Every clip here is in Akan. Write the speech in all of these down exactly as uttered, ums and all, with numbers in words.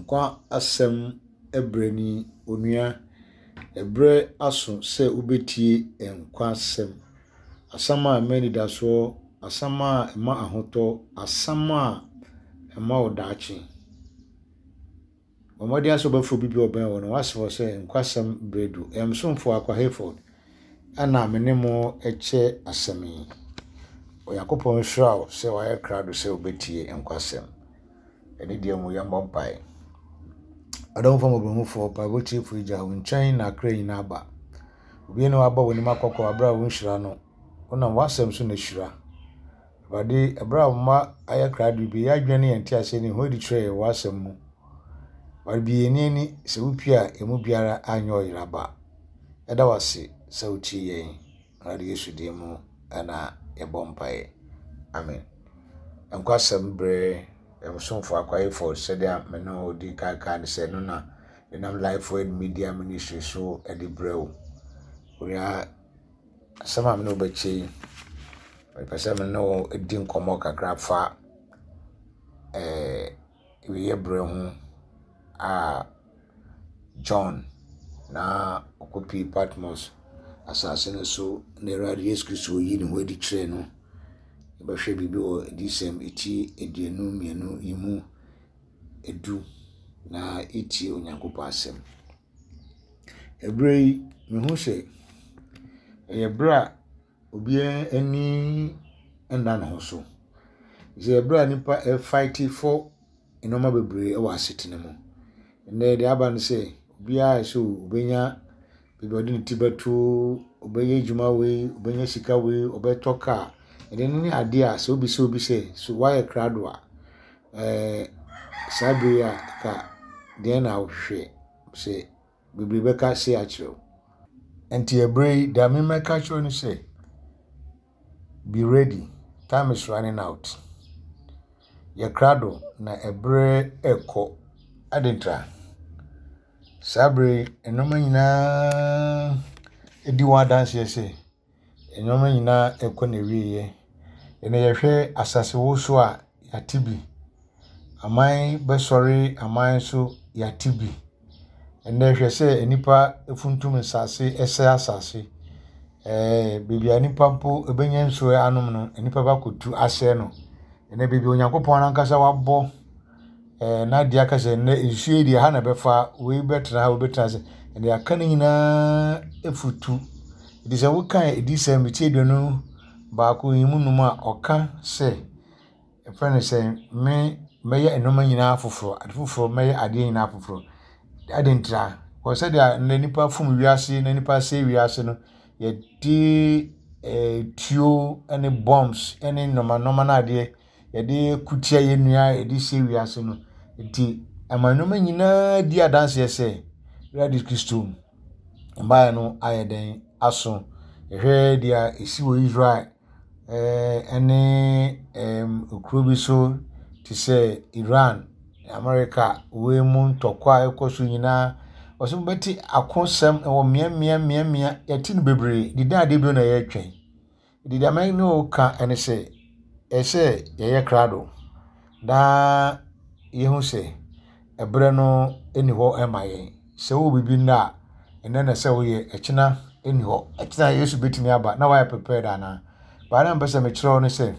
Nkwa asɛm brɛ ni. Onua, ɛberɛ aso sɛ wobɛtie nkwa asɛm. Asɛm a ɛma anidasoɔ, asɛm a ɛma ahotɔ, asɛm a ɛma wo daakye. Bɔ mmɔden ara sɛ wobɛfrɛ obi bi a ɔbɛn wo no, woasrɛ sɛ nkwa asɛm berɛ du. Ɛyɛ me somfo Akwa Hayford ɛna me ne mo kyɛ asɛm yi. Onyankopɔn nhyira wo sɛ wayɛ krado sɛ wobɛtie nkwasɛm. Ɛne deɛ mu yɛmmɔ mpae. Adɔmfoɔ mmɔborɔhufoɔ, mpaebɔ tiefoɔ Agya, wo nkyɛn na akra nyinaa ba. Obi ne waba w'anim akɔkɔ aberɛ a wonhyira no. Wonam w'asɛm so na hyira. Awurade, ɛberɛ a wo mma ayɛ krado bi, yɛn adwene ne yɛn nteaseɛ ne ho adi kyerɛ yɛn w'asɛm mu. Awurade, bue yɛn ani sɛ wopue a emu biara anyɛ ɔyera ba. Yɛda wo ase sɛ wotie yɛn. Awurade Yesu din mu ɛna yɛbɔ mpaeɛ. Amen. Nkwasɛm berɛ ɛmsomfo akwaefoɔ sɛdeɛ me ne wo di kan kan ne sɛ no na ɛnam Life Word Media Ministry so de brɛ wo. Onua, asɛm a me ne wo bɛkyɛ yi, mepɛ sɛ me ne wo di nkɔmmɔ kakra fa ɛɛ wiyɛ berɛ ho a John na ɔkɔpie Patmos asase no so na Awurade Yesu Kristo yi ne ho adi kyerɛɛ no. Yɛbɛhwɛ biribi wɔ Adiyisɛm eti aduonu mmienu yi mu edu na etie Onyankopɔn asɛm. Ɛberɛ yi, mehu sɛ ɛyɛ berɛ a obiara ani nna ne ho so. Sɛ ɛberɛ a nnipa ɛfight for nneɛma bebree wɔ asetena mu. Nnɛ deɛ aba ne sɛ obiara sɛ obɛnya baabi a ɔde ne ti bɛto, ɔbɛyɛ adwuma wei, ɔbɛnya sika wei, ɔbɛtɔ kaa. Ɛno ne adeɛ a sɛ wobisa obi sɛ so woayɛ krado a, ɛɛ saa bere yi a ka deɛn na wohwehwɛ sɛ bebree bɛka se akyerɛ wo. Nti ɛberɛ yi, deɛ memɛka kyerɛ wo ne sɛ, be ready, time is running out. Yɛ krado na ɛberɛ ɛrekɔ. Adɛn ntira? Saa bere yi, nneɛma nyinaa di wɔn adanseɛ sɛ nneɛma nyinaa ɛrekɔ n'awieeɛ. Ɛnna yɛhwɛ asasewosoɔ a yɛate bi. Aman bɛsɔre aman so yɛate bi. Ɛnnɛ hwɛ sɛ nnipa funtum nsase ɛsɛe asase. Ɛɛ baabi a nnipa mpo bɛnya nsuo anom no, nnipa bɛakɔtu asɛe no. Ɛnnɛ baabi a Onyankopɔn ankasa wabɔ ɛɛ n'adeɛ aka sɛ nnɛ nsuo yi deɛ ha na ɛbɛfa, wei bɛtena ha, wei bɛtena ase. Ɛnna aka no nyinaa afutu. Nti sɛ wokan Adiyisɛm ti aduonu baako yi mu num a ɔka sɛ ɛfrɛ no sɛ me mɛyɛ nneɛma nyinaa foforɔ, ade foforɔ mɛyɛ adeɛ nyinaa foforɔ. Adɛn ntira? Wɔ sɛdeɛ nnɛ nnipa fom wiase na nnipa sɛe wiase no, yɛde ɛɛ tuo ne bombs ne nneɛma nneɛma no adeɛ yɛde kutia yɛn nua yɛde sɛe wiase no. Nti ɛma nneɛma nyinaa di adanseɛ sɛ Awurade Kristo mmaeɛ no ayɛ dɛn aso. Yɛhwɛ deɛ ɛsi wɔ Israel ɛɛ ɛne ɛɛm kuro bi so te sɛ Iran, America, wei mu ntɔkwa a ɛkɔ so nyinaa. Wɔsɛ wobɛte akosɛm wɔ mmeammea mmeammea yɛte no bebree. Deda adeɛ bio na yɛretwɛn. Deda me ne wo ka ne sɛ ɛsɛ yɛyɛ krado na yɛhu sɛ ɛberɛ no nni hɔ ma yɛn. Sɛ wowɔ biribi nnɛ a, ɛnnɛ na sɛ woyɛ, ɛkyena nni hɔ. Ɛkyena Yesu bɛtumi aba na woayɛ prepared anaa? Baa na mpɛ sɛ mekyerɛ wo ne sɛ,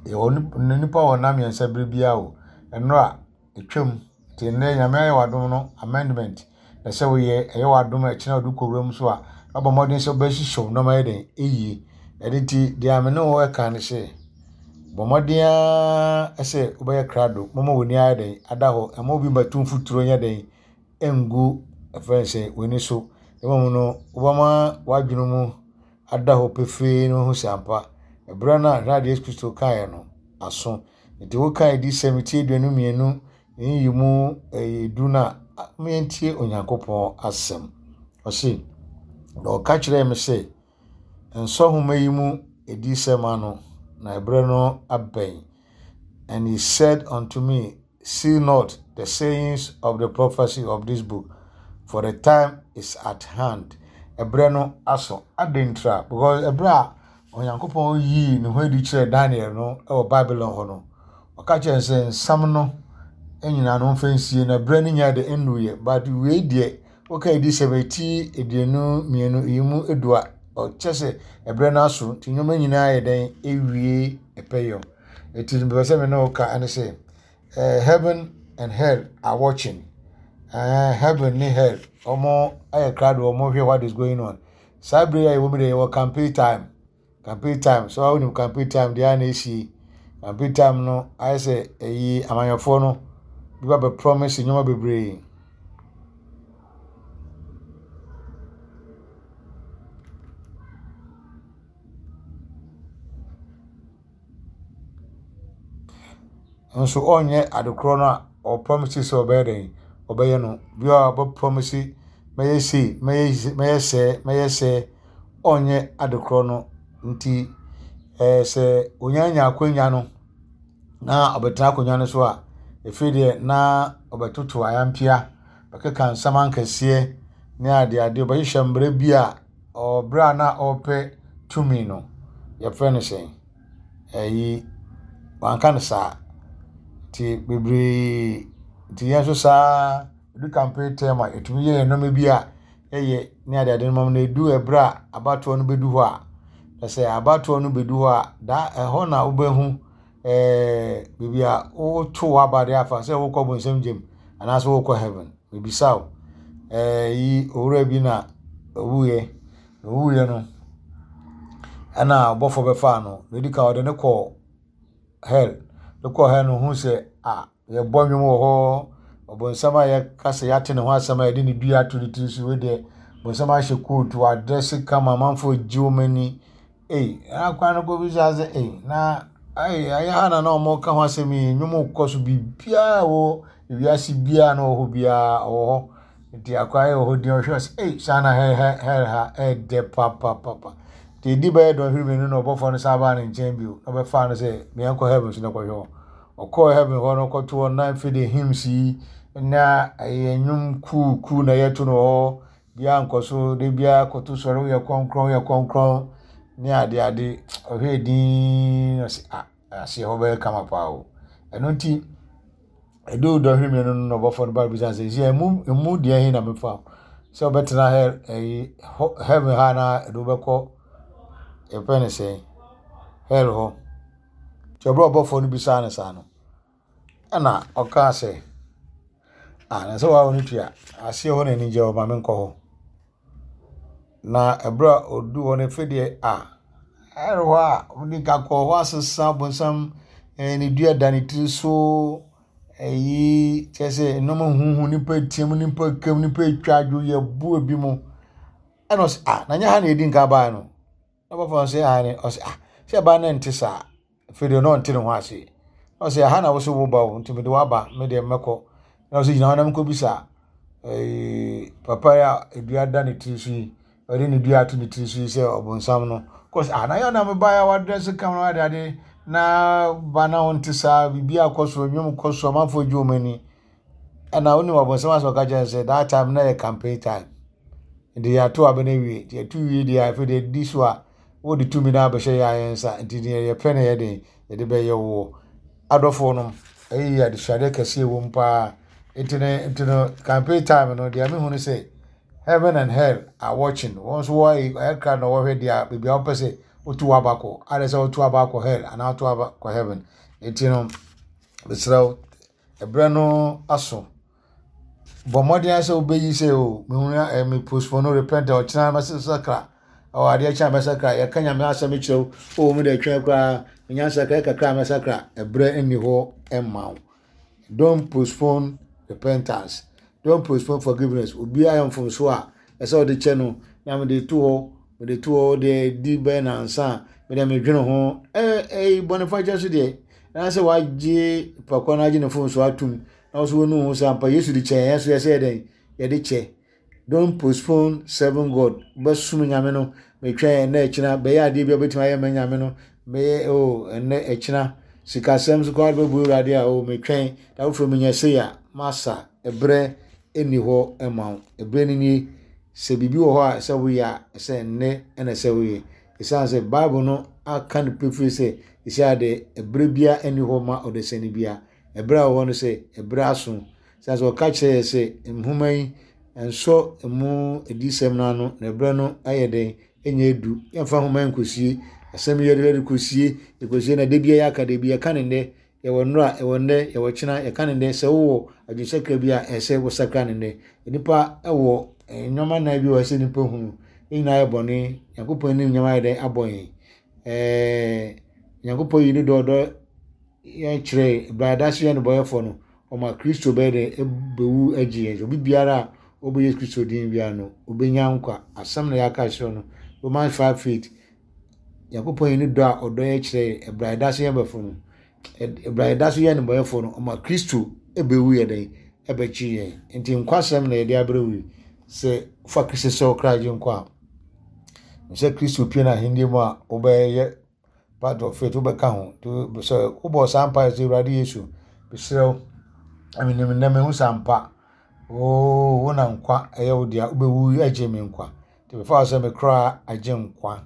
yɛwɔ nnipa wɔ nna mmiɛnsa bere biara o. Nnora etwam nti nnɛ Nyame ayɛ w'adom no amendment na sɛ woyɛ ɛyɛ w'adom a ɛkyena wode kɔ wuram so a wabɔ mmɔden sɛ wobɛhyehyɛ wo nneɛma yɛ dɛn ɛyie. Ɛno nti deɛ me ne wo ɛka ne sɛ bɔ mmɔden ara sɛ wobɛyɛ krado moma w'ani ayɛ dɛn ada hɔ ɛma obi mmɛto mfuturo nyɛ dɛn ɛngu ɛfrɛ no sɛ w'ani so. Mmom no wobɛma w'adwene mu ada hɔ pefee na woahu sɛ ampa ɛberɛ no a Awurade Yesu Kristo kaeɛ no aso. Nti woka Adiyisɛm ti aduonu mmienu ne yi mu ɛyɛ du no a, yɛntie Onyankopɔn asɛm. Ɔse, na ɔka kyerɛɛ me sɛ, nsɔ nhoma yi mu adiyisɛm ano, na ɛberɛ no abɛn. And he said unto me, Seal not the sayings of the prophecy of this book, for the time is at hand. Ɛberɛ no aso. Adɛn ntira? Because ɛberɛ a Onyankopɔn yii ne ho adi kyerɛɛ Daniel no wɔ Babylon hɔ no, ɔka kyerɛɛ no sɛ nsɛm no nyinaa no mfa nsie na berɛ no nya de nnuruyɛ. But wei deɛ woka adiyisɛm eti aduonu mmienu yi mu edu a ɔkyɛ sɛ ɛberɛ no aso nti nneɛma nyinaa yɛ dɛn ewie ɛpɛyɛ. Eti mpɛ sɛ me ne wo ka ɛne sɛ eh, heaven and hell are watching. Eh, heaven ne hell ɔmo ayɛ krado, ɔmo hwɛ what is going on. Saa bere a yɛwɔ mu deɛ, yɛwɔ campaign time. Campaign time so, awo nim campaign time deɛ a na esi campaign time no ayɛ sɛ ɛyi amanyɔfoɔ no bi ba bɛ promise nneɛma bebree. Nso ɔnyɛ adekorɔ no a ɔpromise sɛ ɔbɛyɛ dɛn ɔbɛyɛ no. Bi a ɔbɛ promise mɛyɛ sei, mɛyɛ mɛyɛ sɛɛ, mɛyɛ sɛɛ, ɔnyɛ adekorɔ no. Nti ɛɛ sɛ onyanya akonnwa no na ɔbɛtena akonnwa no so a, efiri deɛ na ɔbɛtoto ayampia, bɛkeka nsɛm ankɛseɛ ne adeade, ɔbɛhyehyɛ mmerɛ bi a ɔbrɛ a na ɔrepɛ tumi no, yɛfrɛ no sɛn, ɛyi wanka no saa. Nti bebree nti yɛn nso saa edu campaign term a, yɛtumi yɛ yɛn nneɛma bi a ɛyɛ ne adeade no ma no edu ɛbrɛ a abatoɔ no bɛdu hɔ a, na sɛ abatoɔ no bɛdu hɔ a, da ɛhɔ na wobɛhu ɛɛ baabi a woto w'aba de afa sɛ wokɔ bonsam gyem anaasɛ wokɔ heaven. Mebisa wo, ɛɛ yi owura bi na owuiɛ. Na owuiɛ no, ɛna ɔbɔfoɔ bɛfaa no. Na edi kan ɔde no kɔɔ hell. De kɔɔ hell no, ohuu sɛ a yɛbɔ nnwom wɔ hɔ. Ɔbonsam a yɛka sɛ yɛate ne ho asɛm a yɛde ne dua ato ne tiri so wei deɛ, bonsam ahyɛ coat, wadrɛse kama, amanfoɔ gye wɔn ani. Ei, akwan no kɔbisa sɛ ei, na ei, ɛyɛ ha na na wɔka ho asɛm yi, nnwom kɔ so, biribiara wɔ ewiase biara na ɔwɔ hɔ biara ɔwɔ hɔ. Nti akwan yɛ wɔ hɔ din, ɔhwɛ sɛ ei, saa na hell hell hell ha ɛɛdɛ papapapa. Nti edi bɛyɛ dɔnhwere mmienu na ɔbɔfoɔ no san baa ne nkyɛn bio na ɔbɛfaa no sɛ meɛnkɔ heaven so na kɔhwɛ hɔ. Ɔkɔɔ heaven hɔ no, ɔkɔto hɔ na afei de hymns yi na ɛyɛ nnwom kuukuu na yɛto no wɔ hɔ. Biara nkɔ so de biara kɔto sɔre, woyɛ kronkron, woyɛ kronkron ne ade ade. Ɔhwɛ din, ɔsɛ ah, aseɛ hɔ bɛyɛ kama paa o. Ɛno nti ɛdu dɔnhwere mmienu no na ɔbɔfoɔ no ba bisa sɛ sɛ emu emu deɛ he na mefa sɛ ɔbɛtena hell ɛyi heaven ha na ɛde wobɛkɔ yɛfrɛ no sɛn hell hɔ. Nti ɔbrɛ ɔbɔfoɔ no bisaa no saa no, ɛna ɔkaa sɛ ah, na sɛ waa no tua aseɛ hɔ na ani gye hɔ, ma menkɔ hɔ. Na ɛberɛ a ɔdu hɔ no, afei deɛ ah, ɛrɛ hɔ a ɔde ka kɔɔ hɔ asesa bonsam ɛɛ ne dua da ne tiri so, ɛyi kyerɛ sɛ nneɛma huhu, nipa team, nipa kam, nipa atwa adwo, yɛbu ebi mu. Ɛna ɔsɛ ah, na nyɛ ha na yɛdi nka baa no. Na ɔbɔfoɔ no sɛ aane. Ɔsɛ ah, sɛ ɛbaa no nte saa. Afei deɛ na ɔnte ne ho ase. Na ɔsɛ aha na wo sɛ woba o, nti mede waba, me deɛ mɛkɔ. Na ɔsɛ gyina hɔ na menkɔbisa ɛɛ papa yi a dua da ne tiri so yi, ɔde ne dua ato ne tiri so yi sɛ ɔbonsam no. Kɔs ah, na yɛ na mebaeɛ a wadrɛse kam na wade ade na ba na wonte saa, biribi akɔ so, nnwom kɔ so, amanfoɔ gye wɔn ani. Ɛna wonim ɔbonsam asɛ ɔka kyerɛ no sɛ that time na yɛ campaign time. Nti yɛato aba no awie. Nti yɛto wie deɛ afei deɛ di so a, wode tumi no abɛhyɛ yɛn yɛn nsa. Nti deɛ yɛpɛ no yɛ den yɛde bɛyɛ woɔ. Adɔfoɔ no, ɛyɛ adesuadeɛ kɛseɛ wɔ mu paa. Nti no nti no campaign time no deɛ mehu no sɛ heaven and hell are watching. Wɔn nso wɔayɛ ɛyɛ kra na wɔhwɛ deɛ baabi a wɔpɛ sɛ wotu w'aba kɔ. Ayɛ sɛ wotu aba akɔ hell anaa wotu aba kɔ heaven. Nti no, mesrɛ wo, ɛberɛ no aso. Bɔ mmɔden sɛ wobɛyi sɛ o, mehu ɛ me postpone repent ɔkyena mɛsakra. Ɔ adeɛ kyɛn a mɛsakra. Yɛka Nyame asɛm kyerɛ wo. O me deɛ twɛn koraa, menya nsakra kakra a mɛsakra. Ɛberɛ nni hɔ mma wo. Don't postpone repentance. Don't postpone forgiveness. Obiara yɛ mfomso a, ɛsɛ ɔde kyɛ no. Na mede to hɔ, mede to hɔ deɛ di bɛyɛ nansa a, mede medwene ho. Ɛɛ ɛyi bɔnefakyɛ so deɛ, na sɛ wagye pakwa no agye ne mfomso atum, na wo nso wonu ho sɛ ampa Yesu de kyɛ yɛn, so yɛsɛ yɛ dɛn? Yɛde kyɛ. Don't postpone serving God. Wobɛsom Nyame no, metwɛn ɛnnɛ ɛkyena, bɛyɛ adeɛ bi a wobɛtumi ayɛ ma Nyame no, bɛyɛ o ɛnnɛ ɛkyena. Sikasɛm so koraa wobɛbu Awurade a o metwɛn, da foforɔ menya sei a, masa. Ɛberɛ nni hɔ mma wo. Ɛberɛ no nie. Sɛ biribi wɔ hɔ a ɛsɛ woyɛ a, ɛsɛ nnɛ ɛna ɛsɛ woyɛ. Ɛsiane sɛ Bible no aka no pefee sɛ, ɛsɛ ade ɛberɛ biara nni hɔ ma ɔdasani biara. Ɛberɛ a wɔwɔ no sɛ ɛberɛ aso. Sɛ sɛ ɔka kyerɛ yɛ sɛ nhoma yi nsɔ emu adiyisɛm no ano na ɛberɛ no ayɛ dɛn ɛnyɛ edu. Yɛmfa nhoma yi nkɔsie. Asɛm yi yɛde yɛde kɔsie yɛkɔsie na da biara yɛaka da bi yɛka ne nnɛ yɛwɔ nnora yɛwɔ nnɛ yɛwɔ kyena yɛka ne nnɛ sɛ wowɔ adwensakra bi a ɛsɛ wosakra ne nnɛ. Nipa ɛwɔ nneɛma nnan bi wɔ sɛ nipa hunu. Ne nyinaa yɛ bɔne. Nyankopɔn anim nneɛma ayɛ dɛn abɔ yɛn. Ɛɛ Nyankopɔn yi ne dɔɔdɔ yɛn kyerɛ brada so yɛ ne bɔyɛfoɔ no ɔma Kristo bɛyɛ dɛ ɛbɛwu agye yɛn. Obi biara a ɔbɛyɛ Kristo din biara no obɛnya nkwa. Asɛm na yɛaka kyerɛ no. Romans five eight. Nyankopɔn yi ne dɔ a ɔdɔ yɛ kyerɛ ɛbrada so yɛ bɛfo no. Ɛbrada so yɛ ne bɔyɛfoɔ no ɔma Kristo ɛbɛwu yɛ dɛn ɛbɛkyi yɛn. Nti nkwasɛm na yɛde abrɛ wo yi. Sɛ fa Kristo sɛ wo kra gye nkwa a sɛ Kristo pie n'ahenni mu a wobɛyɛ part of it wobɛka ho. Nti sɛ wobɔ saa mpaeɛ sɛ Awurade Yesu mesrɛ wo menim nnɛ mehu sɛ ampa oo wo na nkwa ɛyɛ wo dea wobɛwu agye me nkwa. Nti mefa wo sɛ me kra agye nkwa.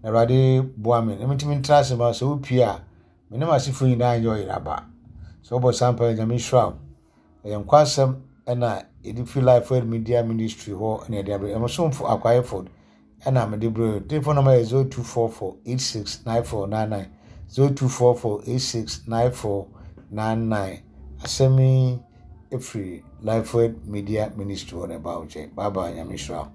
Na Awurade boa me na mentumi ntena ase ma sɛ wopie a me ne m'asefoɔ nyinaa nyɛ ɔyeraba. Sɛ wobɔ saa mpaeɛ Nyame nhyira wo. Ɛyɛ nkwa asɛm ɛna yɛde fi Life Word Media Ministry hɔ ɛna yɛde abrɛ. Ɛmo somfo Akwa Hayford ɛna mede brɛ wo. Telephone number yɛ zero two four four eight six nine four nine nine zero two four four eight six nine four nine nine. Asɛm yi efiri Life Word Media Ministry hɔ na ɛba wo nkyɛn. Bye bye, Nyame nhyira wo.